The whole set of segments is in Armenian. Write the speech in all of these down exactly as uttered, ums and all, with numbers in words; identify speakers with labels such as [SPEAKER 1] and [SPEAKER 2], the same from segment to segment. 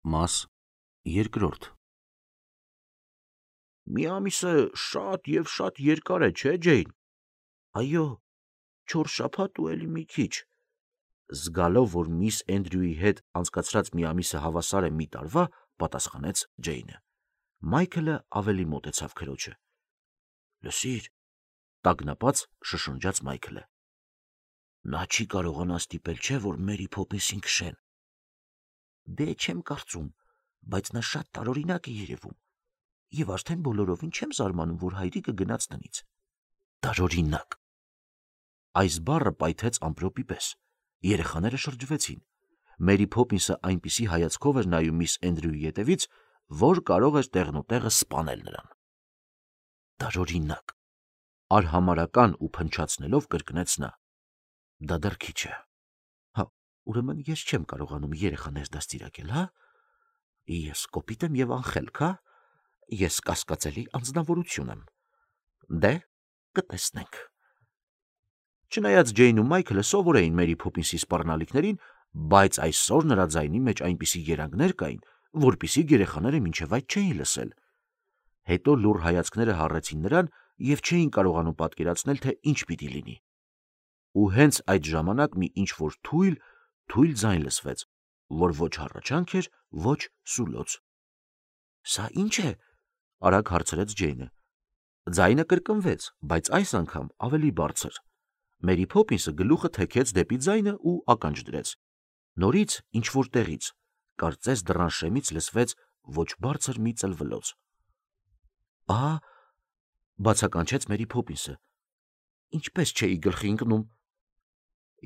[SPEAKER 1] Մաս երկրորդ
[SPEAKER 2] Մի ամիսը շատ և շատ երկար է, չէ՞ Ջեյն։ Այո, չորս շաբաթ ու էլի մի քիչ։ Զգալով, որ միս Էնդրյուի հետ անցկացրած մի ամիսը հավասար է մի տարվա, պատասխանեց Ջեյնը։ Մայքլը ավելի մոտեցավ քրոջը։ Լսիր, տագնապած շշնջաց Մայքլը։ Նա չի կարողանա ստիպել, չէ՞ որ Մերի Փոփինսին քշեն։ Դե չեմ կարծում, բայց նա շատ տարօրինակ է երևում։ Եվ արդեն բոլորովին չեմ զարմանում, որ հայրիկը գնաց տնից։ Տարօրինակ։ Այս բառը պայթեց ամպրոպի պես։ Երեխաները շրջվեցին։ Մերի Փոփինսը այնպիսի հայացքով էր նայում միս Էնդրյուի ետևից, որ կարող էր տեղնուտեղը սպանել նրան։ Տարօրինակ։ Արհամարական ու փնչացնելով կրկնեց նա։ Դա դեռ քիչ է։ Հա, ուրեմն ես չեմ կարողանում երեխաներ դաստիարակել, հա։ Ես կոպիտ եմ և անխելք, հա։ Ես կասկածելի անձնավորություն եմ։ Դե, կտեսնենք։ Չնայած Ջեյնն ու Մայքլը սովոր էին Մերի Փոփինսի սպառնալիքներին, բայց այսօր նրա ձայնի մեջ այնպիսի երանգներ կային, որպիսիք երեխաները մինչև այդ չէին լսել։ Հետո լուռ հայացքները հառեցին նրան և չէին կարողանում պատկերացնել, թե ինչ պիտի լինի։ Ու հենց այդ ժամանակ մի ինչ-որ թույլ, թույլ ձայն լսվեց, որ ոչ հառաչանք էր, ոչ սուլոց։ Սա ի՞նչ է, արագ հարցրեց Ջեյնը։ Ձայնը կրկնվեց, բայց այս անգամ ավելի բարձր։ Մերի Փոփինսը գլուխը թեքեց դեպի ձայնը ու ականջ դրեց։ Նորից ինչ-որ տեղից, կարծես դռան շեմից լսվեց ոչ բարձր մի ծլվլոց։ Ահա, բացականչեց Մերի Փոփինսը։ Ինչպես չէի գլխի ընկնում։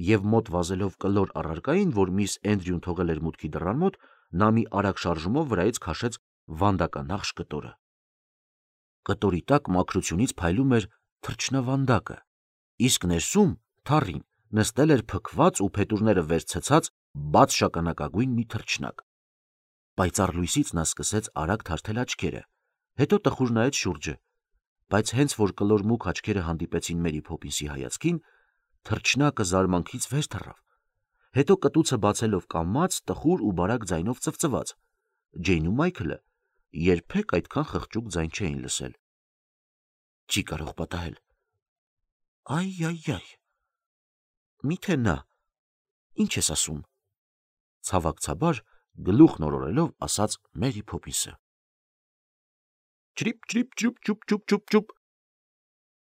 [SPEAKER 2] Եվ մոտ վազելով կլոր առարկային, որ միս Էնդրյուն թողել էր մուտքի դռան մոտ, նա մի արագ շարժումով վրայից քաշեց վանդականախշ կտորը։ Կտորի տակ մաքրությունից փայլում էր թռչնավանդակը, իսկ ներսում, թառին, նստել էր փքված ու փետուրները վեր ցցած բաց շագանակագույն մի թռչնակ։ Պայծառ լույսից նա սկսեց արագ թարթել աչքերը, հետո տխուր նայեց շուրջը, բայց հենց որ կլոր մուգ աչքերը հանդիպեցին Մերի Փոփինսի հայացքին, թռչնակը զարմանքից վեր թռավ, հետո կտուցը բացելով կամաց, տխուր ու բարակ ձայնով ծվծվաց։ Ջեյնն ու Մայքլը երբեք այդքան խղճուկ ձայն չէին լսել։ Չի կարող պատահել։ Այ-այ-այ։ Միթե նա։ Ինչ ես ասում։ Ցավակցաբար գլուխ նորորելով ասաց Մերի Փոփինսը։ Չրիպ, չրիպ, չուպ, չուպ, չուպ, չուպ, չուպ։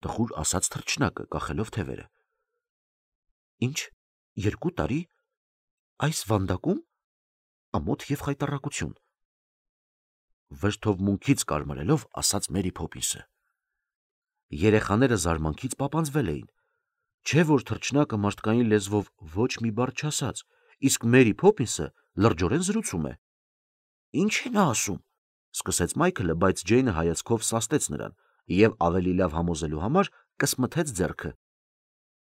[SPEAKER 2] Տխուր ասաց թռչնակը, կախելով թևերը։ Ինչ, երկու տարի։ Այս վանդակում։ Ամոթ և խայտառակություն։ Վրդով մունքից կարմրելով ասաց Մերի Փոփինսը։ Երեխաները զարմանքից պապանձվել էին։ Չէ որ թռչնակը մարդկային լեզվով ոչ մի բառ չասաց, իսկ Մերի Փոփինսը լրջորեն զրուցում է։ Ինչ է նա ասում, սկսեց Մայքլը, բայց Ջեյնը հայացքով սաստեց նրան և ավելի լավ համոզելու համար կսմթեց ձեռքը։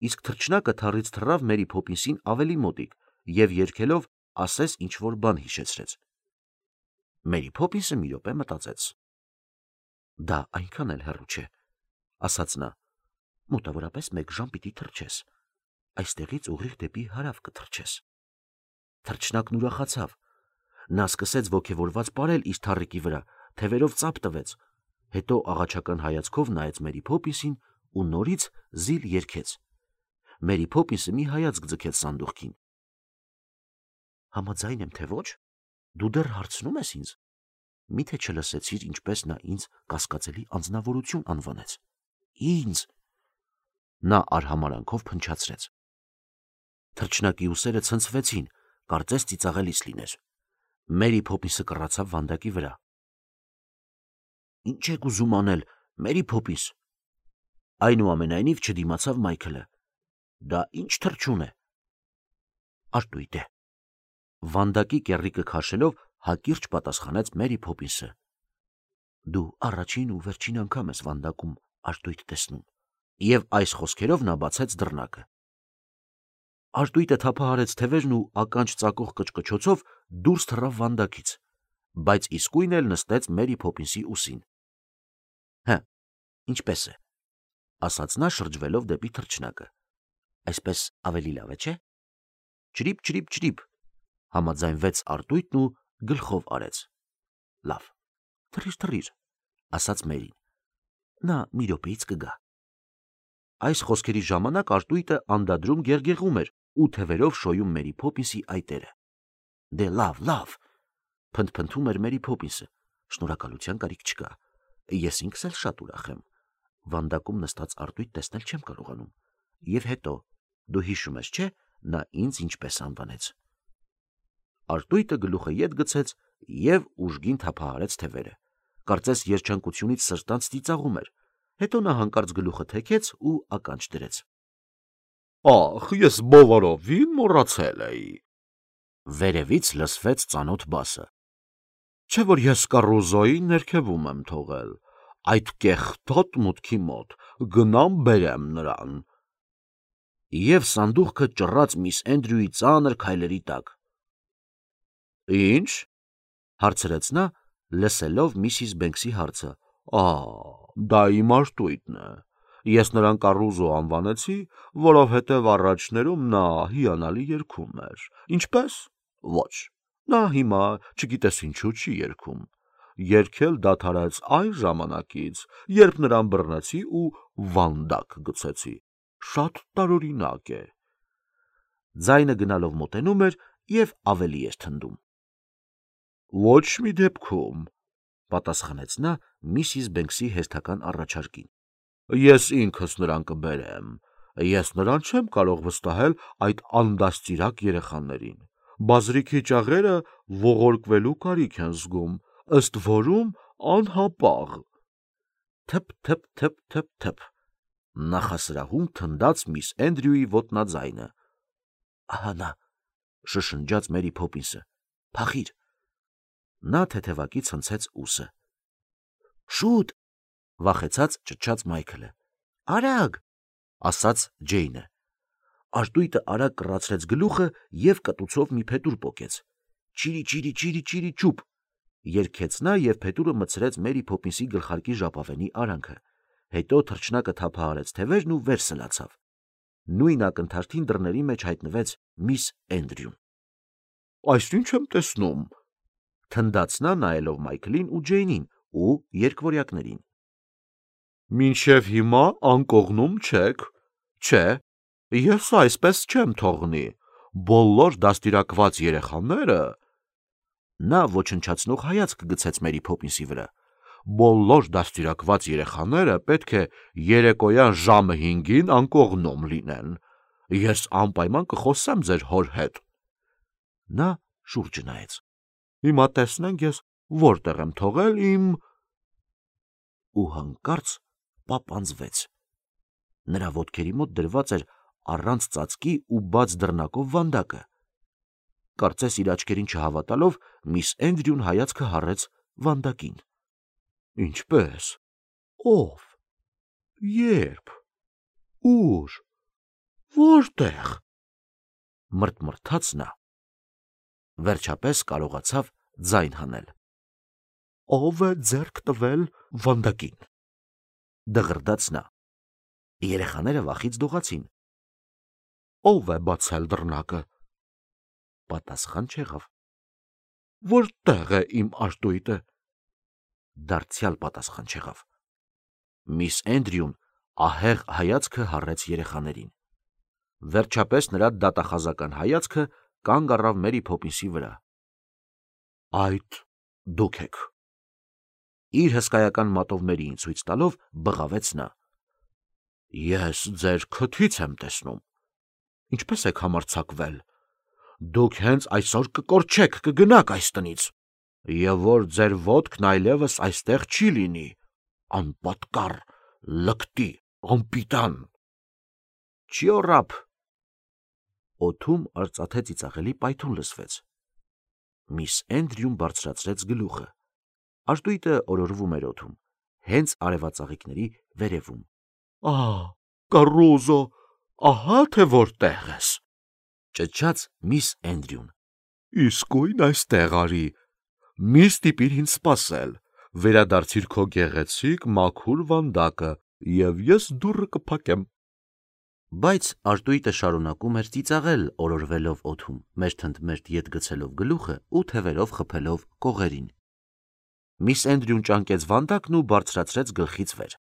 [SPEAKER 2] Իսկ թռչնակը թառից թռավ Մերի Փոփինսին ավելի մոտիկ և երգելով ասես ինչ-որ բան հիշեցրեց։ Մերի Փոփինսը մի րոպե մտածեց։ Դա այնքան էլ հեռու չէ, ասաց նա։ Մոտավորապես մեկ ժամ պիտի թռչես։ Այստեղից ուղիղ դեպի հարավ կթռչես։ Թռչնակն ուրախացավ։ Նա սկսեց ոգևորված պարել իր թառիկի վրա, թևերով ծափ տվեց, հետո աղաչական հայացքով նայեց Մերի Փոփինսին ու նորից զիլ երգեց։ Մերի Փոփինսը մի հայացք ձգեց սանդուղքին։ Համաձայն եմ, թե ոչ։ Դու դեռ հարցնում ես ինձ։ Միթե չլսեցիր, ինչպես նա ինձ կասկածելի անձնավորություն անվանեց։ Ինձ։ Նա արհամարանքով փնչացրեց։ Թռչնակի ուսերը ցնցվեցին, կարծես ծիծաղելիս լիներ։ Մերի Փոփինսը կռացավ վանդակի վրա։ Ինչ եք ուզում անել, Մերի Փոփինս։ Այնուամենայնիվ չդիմացավ Մայքլը։ Դա ինչ թռչուն է։ Արտույտ է։ Վանդակի կեռիկը քաշելով հակիրճ պատասխանեց Մերի Փոփինսը։ Դու առաջին ու վերջին անգամ ես վանդակում արտույտ տեսնում։ Եվ այս խոսքերով նա բացեց դռնակը։ Արտույտը թափահարեց թևերն ու ականջ ծակող կչկչոցով դուրս թռավ վանդակից, բայց իսկույն էլ նստեց Մերի Փոփինսի ուսին։ Հը, ինչպես է, ասաց նա շրջվելով դեպի թռչնակը։ Այսպես ավելի լավ է, չէ։ Չրիպ, չրիպ, չրիպ, համաձայնվեց արտույտն ու գլխով արեց։ Լավ, թռիր, թռիր, ասաց Մերին։ Նա մի րոպեից կգա։ Այս խոսքերի ժամանակ արտույտը անդադրում գերգեղում էր ու թևերով շոյում Մերի Փոփինսի այտերը։ Դե լավ, լավ, փնթփնթում էր Մերի Փոփինսը, շնորհակալության կարիք չկա։ Ես ինքս էլ շատ ուրախ եմ։ Վանդակում նստած արտույտ տեսնել չեմ կարողանում։ Եվ հետո, դու հիշում ես, չէ՞, նա ինձ ինչպես անվանեց։ Արտույտը գլուխը ետ գցեց եւ ուժգին թափահարեց թևերը։ Կարծես երջանկությունից սրտանց ծիծաղում էր։ Հետո նա հանկարծ գլուխը թեքեց ու ականջ դրեց։ Ախ, ես բովարովին մոռացել էի։ Վերևից լսվեց ծանոթ բասը։ Չէ՞ որ ես Կարոզոյի ներքևում եմ թողել, այդ կեղտոտ մուտքի մոտ, գնամ բերեմ նրան։ Եվ սանդուղքը ճռած միս Էնդրյուի ծանր քայլերի տակ։ Ինչ, հարցրեց նա, լսելով միսիս Բենքսի հարցը։ Ա, դա իմ արտույտն է։ Ես նրան Կարուզո անվանեցի, որովհետև առաջներում նա հիանալի երգում էր։ Ինչպես։ Ոչ, նա հիմա չգիտես ինչու չի երգում։ Երգել դադարեց այն ժամանակից, երբ նրան բռնեցի ու վանդակ գցեցի։ Շատ տարօրինակ է։ Ձայնը գնալով մոտենում էր եւ ավելի էր թնդում։ Ոչ մի դեպքում, պատասխանեց նա միսիս Բենքսի հերթական առաջարկին։ Ես ինքս նրան կբերեմ։ Ես նրան չեմ կարող վստահել այդ անդաստիրակ երեխաներին։ Բազրիքի ճաղերը ողորկվելու կարիք են զգում, ըստ որում անհապաղ։ Թփ-թփ-թփ-թփ-թփ։ Նախասրահում թնդաց միս Էնդրյուի ոտնաձայնը։ Ահա նա, շշնջաց Մերի Փոփինսը։ Փախիր։ Նա թեթևակի ցնցեց ուսը։ Շուտ, վախեցած ճչաց Մայքլը։ Արագ, ասաց Ջեյնը։ Արտույտը արագ կռացրեց գլուխը եւ կտուցով մի փետուր պոկեց։ Չիրի, չիրի, չիրի, չիրի, չուպ։ Երգեց նա եւ փետուրը մտցրեց Մերի Փոփինսի գլխարկի ժապավենի արանքը։ Հետո թռչնակը թափահարեց թևերն ու վեր սլացավ։ Նույն ակնթարթին դռների մեջ հայտնվեց միս Էնդրյուն։ Այս ինչ եմ տեսնում, թնդաց նա նայելով Մայքլին ու Ջեյնին ու երկվորյակներին։ Մինչև հիմա անկողնում չեք, չէ, ես այսպես չեմ թողնի, բոլոր դաստիարակված երեխաները… Նա ոչնչացնող հայացք գցեց Մերի Փոփինսի վրա։ Բոլոր դաստիարակված երեխաները պետք է երեկոյան ժամը հինգին անկողնում լինեն։ Ես անպայման կխոսեմ ձեր հոր հետ։ Նա շուրջը նայեց։ Հիմա տեսնենք ես որտեղ եմ թողել իմ… Ու հանկարծ պապանձվեց։ Նրա ոտքերի մոտ դրված էր առանց ծածկի ու բաց դռնակով վանդակը։ Կարծես իր աչքերին չհավատալով, միս Էնդրյուն հայացքը հառեց վանդակին։ Ինչպե՞ս։ Ո՞վ։ Ե՞րբ։ Ո՞ւր։ Որտեղ։ Մրթմրթաց նա։ Վերջապես կարողացավ ձայն հանել։ Ո՞վ է ձեռք տվել վանդակին։ Դղրդաց նա։ Երեխաները վախից դողացին։ Ո՞վ է բացել դռնակը։ Պատասխան չեղավ։ Որտեղ է իմ արտույտը։ Դարձյալ պատասխան չեղավ։ Միս Էնդրյուն ահեղ հայացքը հառեց երեխաներին։ Վերջապես նրա դատախազական հայացքը կանգ առավ Մերի Փոփինսի վրա։ Այդ դուք եք։ Իր հսկայական մատով Մերիին ցույց տալով բղավեց նա։ Ես ձեր քթից եմ տեսնում։ Ինչպես եք համարձակվել։ Դուք հենց այսօր կկորչեք, կգնաք այս տնից։ Եվ որ ձեր ոտքն այլևս այստեղ չի լինի, անպատկառ, լկտի, անպիտան։ Չիոռապ։ Օդում արծաթե ծիծաղելի պայթուն լսվեց։ Միս Էնդրյուն բարձրացրեց գլուխը։ Արտույտը օրորվում էր օդում, հենց արևածաղիկների վերևում։ Ահ, Կարոզո, ահա թե որտեղ ես։ Ճչաց միս Էնդրյուն։ Իսկույն այստեղ արի։ Մի ստիպիր ինձ սպասել, վերադարձիր քո գեղեցիկ մաքուր վանդակը, եւ ես դուռը կփակեմ։ Բայց արտույտը շարունակում էր ծիծաղել օրորվելով օդում, մերթընդմերթ ետ գցելով գլուխը ու թևերով խփելով կողերին։ Միս Էնդրյուն ճանկեց վանդակն ու բարձրացրեց գլխից վեր։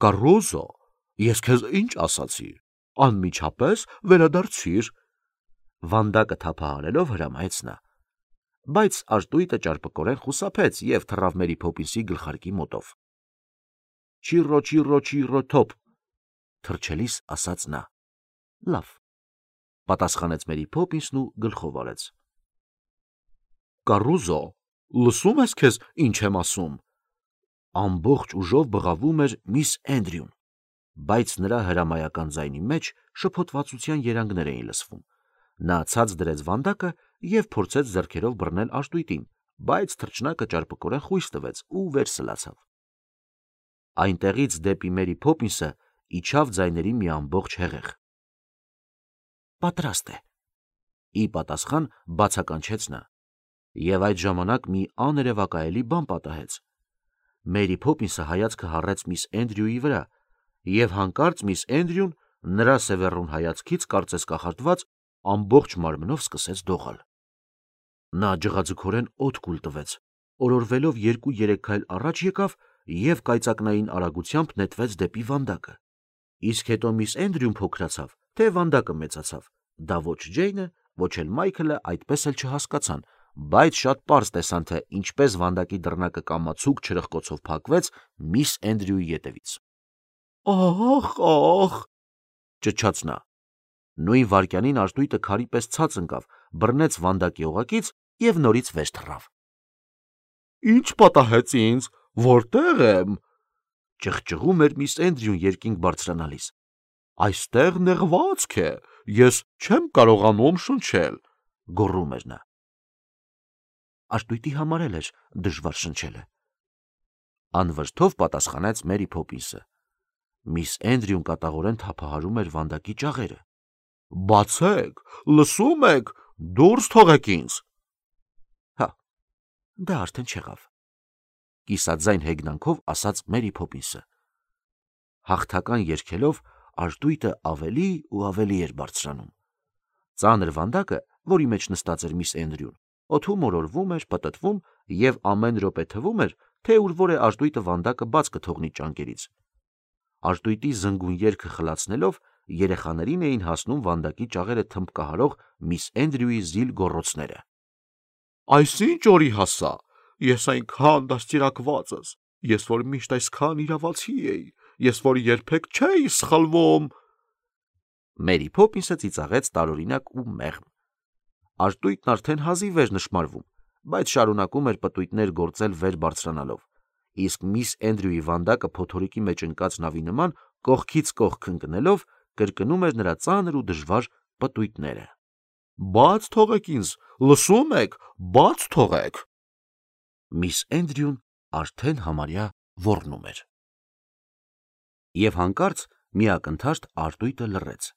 [SPEAKER 2] Կարոզո, ես քեզ ինչ ասացի, անմիջապես վերադարձիր։ Վանդակը թափահարելով հրամայեց նա, բայց արտույտը ճարպկորեն խուսափեց և թռավ Մերի Փոփինսի գլխարկի մոտով։ Չիրո, չիրո, չիրո, թոփ, թռչելիս ասաց նա։ Լավ, պատասխանեց Մերի Փոփինսն ու գլխով արեց։ Կարոզո, լսում ես քեզ ինչ եմ ասում։ Ամբողջ ուժով բղավում էր միս Էնդրյուն, բայց նրա հրամայական ձայնի մեջ շփոթվածության երանգներ էին լսվում։ Նա ցած դրեց վանդակը և փորձեց ձեռքերով բռնել արտույտին, բայց թռչնակը ճարպկորեն խույս տվեց ու վեր սլացավ։ Այնտեղից դեպի Մերի Փոփինսը իջավ ձայների մի ամբողջ հեղեղ։ Պատրաստ է, ի պատասխան բացականչեց նա, և այդ ժամանակ մի աներևակայելի բան պատահեց։ Մերի Փոփինսը հայացքը հառեց միս Էնդրյուի վրա, և հանկարծ միս Էնդրյուն նրա սևեռուն հայացքից կարծես կախարդված ամբողջ մարմնով սկսեց դողալ։ Նա ջղաձգորեն օդ կուլ տվեց, օրորվելով երկու-երեք քայլ առաջ եկավ և կայծակնային արագությամբ նետվեց դեպի վանդակը։ Իսկ հետո միս Էնդրյուն փոքրացավ, թե վանդակը մեծացավ։ Դա ոչ Ջեյնը, ոչ էլ Մայքլը այդպես էլ չհասկացան, բայց շատ պարզ տեսան, թե ինչպես վանդակի դռնակը կամացուկ չրպկոցով փակվեց միս Էնդրյուի ետևից։ Ահ, ահ, ճչաց նա։ Նույն վայրկյանին արտույտը քարի պես ցած ընկավ, բռնեց վանդակի օղակից և նորից վեր թռավ։ Ինչ պատահեց ինձ, որտե՞ղ եմ, ճղճղում էր միս Էնդրյուն երկինք բարձրանալիս։ Այստեղ նեղվածք է, ես չեմ կարողանում շնչել, գոռում էր նա։ Արտույտի համար էլ էր դժվար շնչելը, անվրդով պատասխանեց Մերի Փոփինսը։ Միս Էնդրյուն կատաղորեն թափահարում էր վանդակի ճաղերը։ Բացեք, լսում եք, դուրս թողեք ինձ։ Հա, դա արդեն չեղավ, կիսաձայն հեգնանքով ասաց Մերի Փոփինսը։ Հաղթական երգելով արտույտը ավելի ու ավելի էր բարձրանում։ Ծանր վանդակը, որի մեջ նստած էր միս Էնդրյուն, օդում օրորվում էր, պտտվում և ամեն րոպե թվում էր, թե ուր որ է արտույտը վանդակը բաց կթողնի ճանկերից։ Արտույտի զնգուն երգը խլացնելով երեխաներին էին հասնում վանդակի ճաղերը թմբկահարող միս Էնդրյուի զիլ գոռոցները։ Այսինչ օրի հասա, ես այնքան դաստիարակված ես, ես որ միշտ այսքան իրավացի էի, ես որ երբեք չէի սխալվում։ Մերի Փոփինսը ծիծաղեց տարօրինակ ու մեղմ։ Արտույտն արդեն հազիվ էր նշմարվում, բայց շարունակում էր պտույտներ գործել վեր բարձրանալով, իսկ միս Էնդրյուի վանդակը փոթորիկի մեջ ընկած նավի նման կողքից կողք ընկնելով կրկնում էր նրա ծանր ու դժվար պտույտները։ Բաց թողեք ինձ, լսում եք, բաց թողեք։ Միս Էնդրյուն արդեն համարյա ոռնում էր։ Եվ հանկարծ մի ակնթարթ արտույտը լռեց։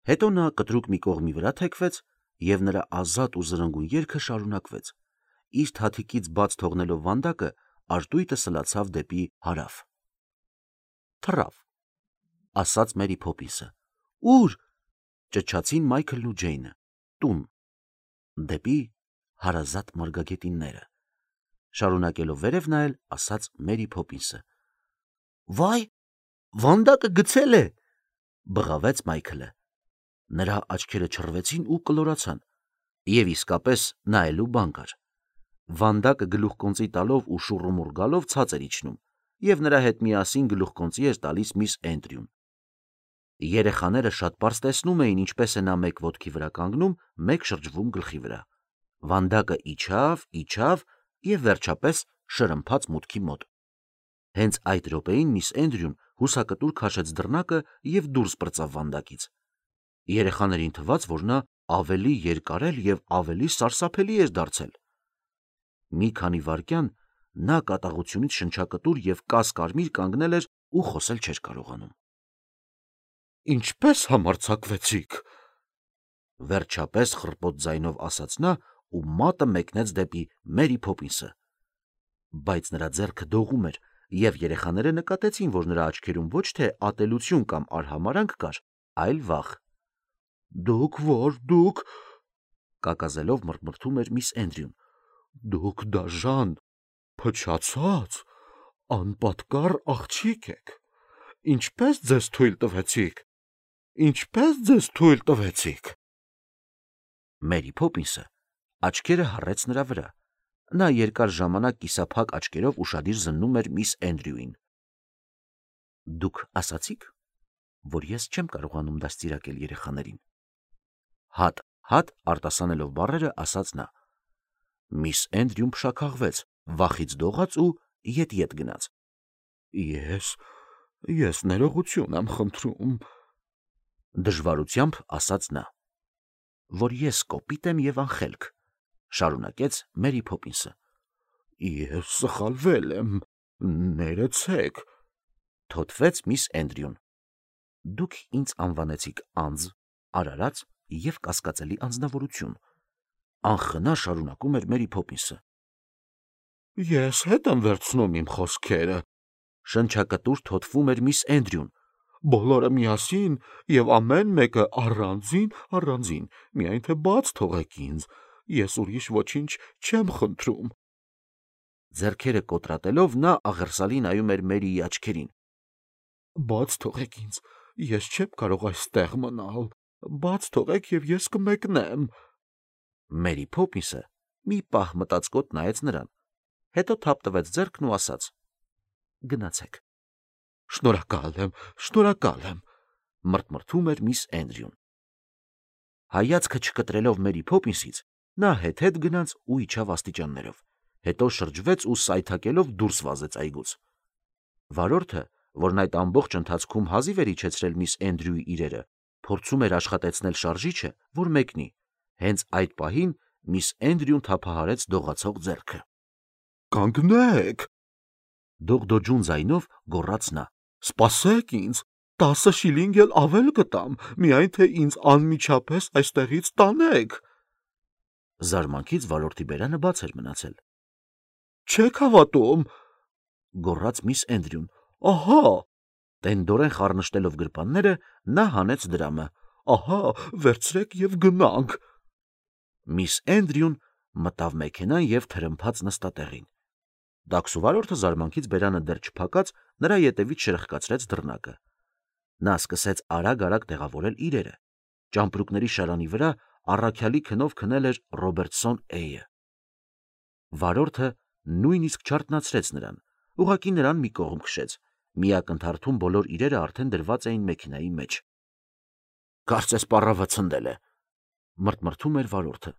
[SPEAKER 2] Հետո նա կտրուկ մի կողմի վրա թեքվեց, և նրա ազատ ու զրնգուն երգը շարունակվեց։ Իր թաթիկից բաց թողնելով վանդակը, արտույտը սլացավ դեպի հարավ։ Թռավ, ասաց Մերի Փոփինսը։ Ո՞ւր, ճչացին Մայքլն ու Ջեյնը։ Տուն, դեպի հարազատ մարգագետինները։ Շարունակելով վերև նայել, ասաց Մերի Փոփինսը։ Վայ, վանդակը գցել է, բղավեց Մայքլը։ Նրա աչքերը չռվեցին ու կլորացան, և իսկապես նայելու բան կար։ Վանդակը գլուխկոնծի տալով ու շուռումուռ գալով ցած էր իջնում, և նրա հետ միասին գլուխկոնծի էր տալիս միս Էնդրյուն։ Երեխաները շատ պարզ տեսնում էին, ինչպես է նա մեկ ոտքի վրա կանգնում, մեկ շրջվում գլխի վրա։ Վանդակը իջավ, իջավ և վերջապես շրմփաց մուտքի մոտ։ Հենց այդ րոպեին միս Էնդրյուն հուսակտուր քաշեց դռնակը և դուրս պրծավ վանդակից։ Երեխաներին թվաց, որ նա ավելի երկարել և ավելի սարսափելի էր դարձել։ Մի քանի վայրկյան նա կատաղությունից շնչակտուր և կաս-կարմիր կանգնել էր ու խոսել չէր կարողանում։ Ինչպե՞ս համարձակվեցիք, վերջապես խռպոտ ձայնով ասաց նա ու մատը մեկնեց դեպի Մերի Փոփինսը։ Բայց նրա ձեռքը դողում էր, և երեխաները նկատեցին, որ նրա աչքերում ոչ թե ատելություն կամ արհամարհանք կար, այլ վախ։
[SPEAKER 3] Դուք որ դուք
[SPEAKER 2] Կակազելով մռմռթում էր միս Էնդրյուն։
[SPEAKER 3] դուք դաժան, փչացած, անպատկառ աղջիկ եք։ Ինչպես ձեզ թույլ տվեցիք։ Ինչպես ձեզ թույլ տվեցիք։
[SPEAKER 2] Մերի Փոփինսը աչքերը հառեց նրա վրա։ Նա երկար ժամանակ կիսափակ աչքերով ուշադիր զննում էր միս Էնդրյուին։ Դուք ասացիք, որ ես չեմ կարողանում դաստիարակել երեխաներին։ Հատ հատ արտասանելով բառերը ասաց նա։ Միս Էնդրյուն փշաքաղվեց, վախից դողաց ու ետ-ետ գնաց։
[SPEAKER 3] Ես ես ներողություն եմ խնդրում,
[SPEAKER 2] Դժվարությամբ ասաց նա։ Որ ես կոպիտ եմ եւ անխելք, շարունակեց Մերի Փոփինսը։
[SPEAKER 3] Ես սխալվել եմ, ներեցեք,
[SPEAKER 2] Թոթվեց միս Էնդրյուն։ Դուք ինձ անվանեցիք անձ, արարած եւ կասկածելի անձնավորություն։ Անխնա շարունակում էր Մերի Փոփինսը։
[SPEAKER 3] Ես հետ եմ վերցնում իմ խոսքերը,
[SPEAKER 2] Շնչակտուր թոթվում էր միս Էնդրյուն։
[SPEAKER 3] բոլորը միասին եւ ամեն մեկը առանձին, առանձին, միայն թե բաց թողեք ինձ, ես ուրիշ ոչինչ չեմ խնդրում։
[SPEAKER 2] Ձեռքերը կոտրատելով նա աղերսալի նայում էր Մերիի աչքերին։
[SPEAKER 3] Բաց թողեք ինձ, ես չեմ կարող այստեղ մնալ, բաց թողեք եւ ես կմեկնեմ։
[SPEAKER 2] Մերի Փոփինսը մի պահ մտածկոտ նայեց նրան, հետո թափ տվեց ձեռքն ու ասաց. Գնացեք։
[SPEAKER 3] Շնորհակալ եմ, շնորհակալ եմ,
[SPEAKER 2] Մռթմռթում էր միս Էնդրյուն։ Հայացքը չկտրելով Մերի Փոփինսից, նա հետ-հետ գնաց ու իջավ աստիճաններով, հետո շրջվեց ու սայթաքելով դուրս վազեց այգուց։ Վարորդը, որն այդ ամբողջ ընթացքում հազիվ էր իջեցրել միս Էնդրյուի իրերը, փորձում էր աշխատեցնել շարժիչը, որ մեկնի։ Հենց այդ պահին միս Էնդրյուն թափահարեց դողացող ձեռքը։
[SPEAKER 3] Կանգնեք,
[SPEAKER 2] Դողդոջուն ձայնով գոռաց նա։
[SPEAKER 3] սպասեք ինձ, տասը շիլինգ էլ ավել կտամ, միայն թե ինձ անմիջապես այստեղից տանեք։
[SPEAKER 2] Զարմանքից վարորդի բերանը բաց էր մնացել։
[SPEAKER 3] Չեք հավատում,
[SPEAKER 2] Գոռաց միս Էնդրյուն։
[SPEAKER 3] ահա,
[SPEAKER 2] Տենդորեն խառնշտելով գրպանները, նա հանեց դրամը։
[SPEAKER 3] ահա, վերցրեք եւ գնանք։
[SPEAKER 2] Միս Էնդրյուն մտավ մեքենան եւ թրմփաց նստատեղին։ Դաքսուվարորդը զարմանքից բերանը դեռ չփակած նրա ետևից շրխկացրեց դռնակը։ Նա սկսեց արագ-արագ տեղավորել իրերը։ Ճամպրուկների շարանի վրա առաքյալի քնով քնել էր Ռոբերտսոն Էյը։ Վարորդը նույնիսկ չարթնացրեց նրան, ուղղակի նրան մի կողմ քշեց։ Մի ակնթարթում բոլոր իրերը արդեն դրված էին մեքենայի մեջ։ Կարծես պառավը ցնդել է, մռթմռթում էր վարորդը։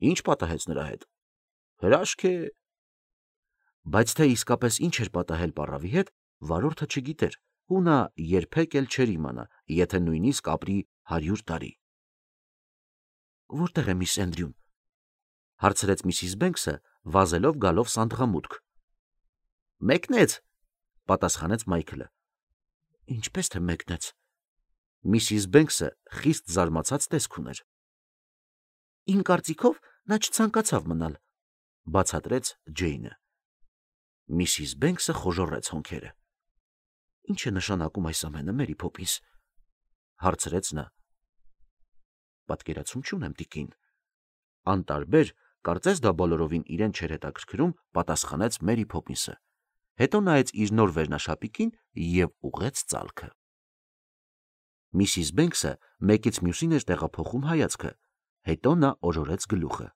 [SPEAKER 2] Ինչ պատահեց նրա հետ։ Հրաշք է։ Բայց թե իսկապես ինչ էր պատահել պառավի հետ, վարորդը չգիտեր, ու նա երբեք էլ չէր իմանա, եթե նույնիսկ ապրի հարյուր տարի։ Որտե՞ղ է միս Էնդրյուն, հարցրեց միսիս Բենքսը, վազելով գալով սանդղամուտք։ Մեկնեց, պատասխանեց Մայքլը։ Ինչպես թե մեկնեց։ Միսիս Բենքսը խիստ զարմացած տեսք ուներ։ Իմ կարծիքով նա չցանկացավ մնալ, բացատրեց Ջեյնը։ Միսիս Բենքսը խոժոռեց հոնքերը։ Ինչ է նշանակում այս ամենը, Մերի Փոփինս, հարցրեց նա։ Պատկերացում չունեմ, տիկին։ Անտարբեր, կարծես դա բոլորովին իրեն չէր հետաքրքրում, պատասխանեց Մերի Փոփինսը։ Հետո նայեց իր նոր վերնաշապիկին եւ ուղղեց ծալքը։ Միսիս Բենքսը մեկից մյուսին էր տեղափոխում հայացքը, հետո նա օրորեց գլուխը։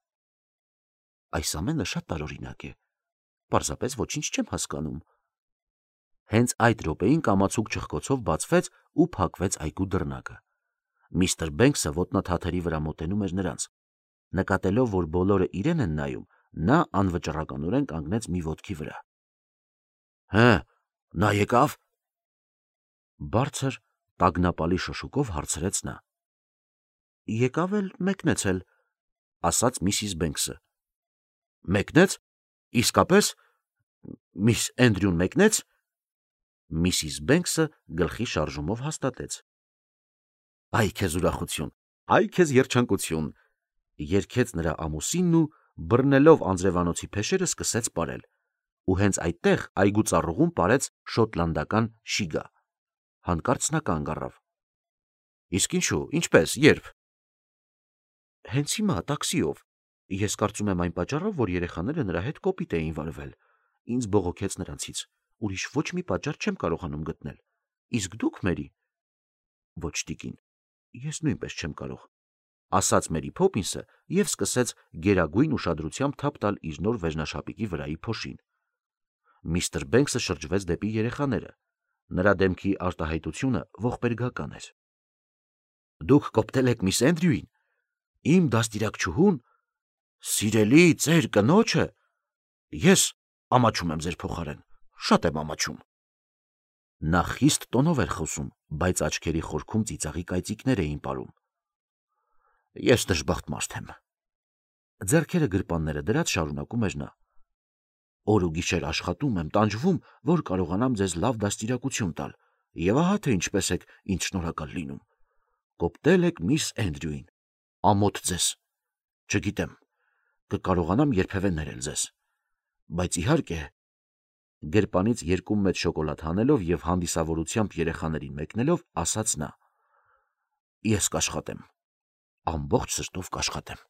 [SPEAKER 2] Այս ամենը շատ տարօրինակ է։ Պարզապես ոչինչ չեմ հասկանում։ Հենց այդ րոպեին կամացուկ չխկոցով բացվեց ու փակվեց այգու դռնակը։ Միստր Բենքսը ոտնաթաթերի վրա մոտենում էր նրանց։ Նկատելով, որ բոլորը իրեն են նայում, նա անվճռականորեն կանգնեց մի ոտքի վրա։ Հը, նա եկավ։ Բարձր, տագնապալի շշուկով հարցրեց նա։ Եկավ էլ մեկնեցել, ասաց միսիս Բենքսը։ Մեկնեց։ Իսկապես միս Էնդրյուն մեկնեց։ Միսիս Բենքսը գլխի շարժումով հաստատեց։ Այ քեզ ուրախություն, այ քեզ երջանկություն, երգեց նրա ամուսինն ու բռնելով անձրևանոցի փեշերը սկսեց պարել, ու հենց այդտեղ այգու ծառուղում պարեց շոտլանդական շիգա։ Հանկարծ նա կանգ առավ։ Իսկ ինչու, ինչպես, երբ։ Հենց հիմա տաքսիով։ Ես կարծում եմ այն պատճառով, որ երեխաները նրա հետ կոպիտ էին վարվել։ Ինձ բողոքեց նրանցից։ Ուրիշ ոչ մի պատճառ չեմ կարողանում գտնել։ Իսկ դուք, Մերի։ Ոչ, տիկին, ես նույնպես չեմ կարող, ասաց Մերի Փոփինսը եւ սկսեց գերագույն ուշադրությամբ թափ տալ իր նոր վերնաշապիկի վրայի փոշին։ Միստր Բենքսը շրջվեց դեպի երեխաները։ Նրա դեմքի արտահայտությունը ողբերգական էր։ Դուք կոպտել եք միս Էնդրյուին, իմ դաստիարակչուհուն, սիրելի ձեր կնոջը։ Ես ամաչում եմ ձեր փոխարեն, շատ եմ ամաչում։ Նա խիստ տոնով էր խոսում, բայց աչքերի խորքում ծիծաղի կայծիկներ էին պարում։ Ես դժբախտ մարդ եմ։ Ձեռքերը գրպանները դրած շարունակում էր նա։ Օր ու գիշեր աշխատում եմ, տանջվում, որ կարողանամ ձեզ լավ դաստիարակություն տալ, եւ ահա թե ինչպես եք ինձ շնորհակալ լինում։ Կոպտել եք միս Էնդրյուին, ամոթ ձեզ։ Չգիտեմ, կկարողանամ երբևէ ներել ձեզ, բայց իհարկե, գրպանից երկու մեծ շոկոլադ հանելով եւ հանդիսավորությամբ երեխաներին մեկնելով, ասաց նա. Ես կաշխատեմ, ամբողջ սրտով կաշխատեմ։